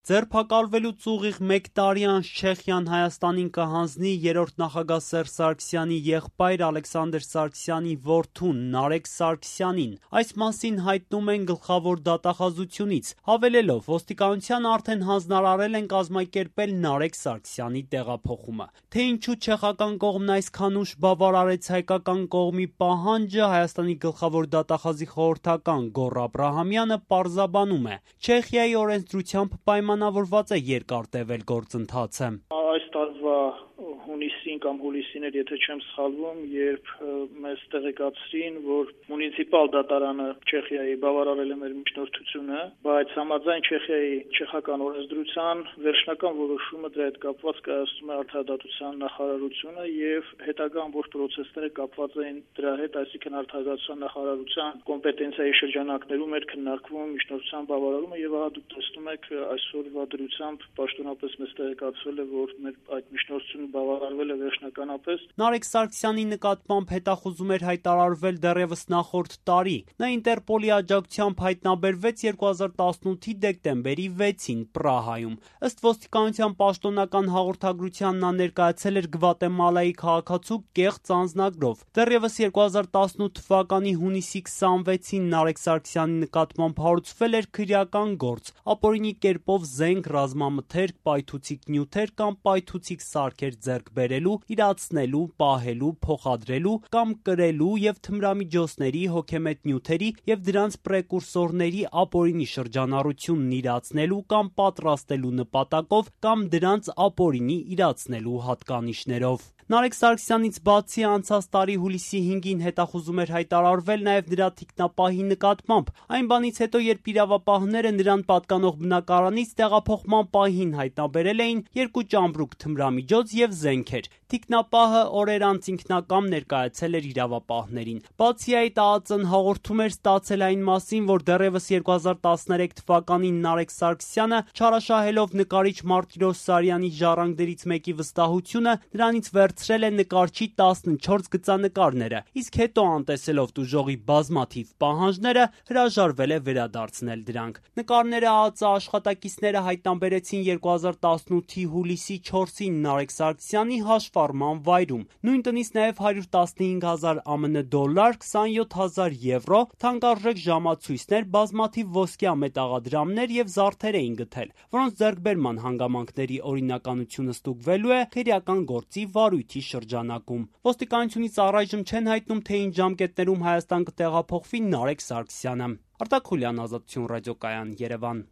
Ձերբակալվելուց ուղիղ 1 տարի անց Չեխիան Հայաստանին կհանձնի երրորդ նախագահ Սերժ Սարգսյանի եղբայր Ալեքսանդր Սարգսյանի որդուն Նարեկ Սարգսյանին։ Այս մասին հայտնում են գլխավոր դատախազությունից, հավելելով ոստիկանությանը արդեն հանձնարարել են կազմակերպել Նարեկ Սարգսյանի տեղափոխումը։ Թե ինչու չեխական կողմն այսքան ուշ բավարարեց հայկական կողմի պահանջը, Հայաստանի գլխավոր դատախազի խորհրդական Գոռ Աբրահամյանը պարզաբանում է։ Չեխիայի օրենսդրությամբ պայմանավորված է երկար տևել գործընթացը։ Այս տարվա հունիսին կամ հուլիսին էր, եթե չեմ սխալվում, երբ մեզ տեղեկացրին, որ մունիցիպալ դատարանը Չեխիայի բավարարել է մեր միջնորդությունը, բայց համաձայն Չեխիայի չեխական օրենսդրության վերջնական որոշումը դրա հետ կապված կայացնում է արդարադատության նախարարությունը եւ հետագա ամբողջ պրոցեսները կապված են դրա հետ, այսինքն արդարադատության նախարարության կոմպետենցիայի շրջանակներում էր քննարկվում միջնորդության բավարարումը եւ ահա դուք տեսնում եք այսօրվա դրությամբ պաշտոնապես մեզ տեղեկացվել է, որ մեր այդ միջնորդությունը բավարարվել է վերջնականապես։ Նարեկ Սարգսյանի նկատմամբ հետախուզում էր հայտարարվել դեռևս նախորդ տարի։ Նա Ինտերպոլի աջակցությամբ հայտնաբերվեց 2018-ի դեկտեմբերի 6-ին Պրահայում։ Ըստ ոստիկանության պաշտոնական հաղորդագրության նա ներկայացել էր Գվատեմալայի քաղաքացու կեղծ անձնագրով։ Դեռևս 2018 թվականի հունիսի 26-ին Նարեկ Սարգսյանի նկատմամբ հարուցվել էր քրեական գործ՝ ապօրինի կերպով զենք, ռազմամթերք, պայթուցիկ նյութեր կամ պայթուցիկ սարքեր ձեռք բերելու, իրացնելու, պահելու, փոխադրելու կամ կրելու եւ թմրամիջոցների, հոգեմետ նյութերի եւ դրանց պրեկուրսորների ապօրինի շրջանառությունն իրացնելու կամ պատրաստելու նպատակով կամ դրանց ապօրինի իրացնելու հատկանիշներով։ Նարեկ Սարգսյանից բացի անցած տարի հուլիսի 5-ին հետախուզում էր հայտարարվել նաև նրա թիկնապահի նկատմամբ։ Այն բանից հետո, երբ իրավապահները նրան պատկանող բնակարանից տեղափոխման պահին հայտնաբերել էին 2 ճամպրուկ թմրամիջոց եւ զենքեր։ Թիկնապահը օրեր անց ինքնակամ ներկայացել էր իրավապահներին։ Բացի այդ, ԱԱԾ-ն հաղորդում էր ստացել այն մասին, որ դեռևս 2013 թվականին Նարեկ Սարգսյանը, չարաշահելով նկարիչ Մարտիրոս Սարյանի ժառանգներից մեկի վստահությունը, նրանից վերցրել է նկարչի 14 գծանկարները, իսկ հետո անտեսելով տուժողի բազմաթիվ պահանջները, հրաժարվել է վերադարձնել դրանք։ Նկարները ԱԱԾ աշխատակիցները հայտնաբերեցին 2018-ի հուլիսի 4-ին Նարեկ Սարգսյանի հաշվառման վայրում։ Նույն տնից նաև 115,000 ԱՄՆ դոլար, 27,000 եվրո, թանկարժեք ժամացույցներ, բազմաթիվ ոսկյա մետաղադրամներ եւ զարդեր էին գտել, որոնց ձեռքբերման հանգամանքների օրինականությունը ստուգվելու է քրեական գործի վարույթի շրջանակում։ Ոստիկանությունից առայժմ չեն հայտնում, թե ինչ ժամկետներում Հայաստան կտեղափոխվի Նարեկ Սարգսյանը։ Արտակ Խուլյան, Ազատություն ռադիոկայան, Երևան։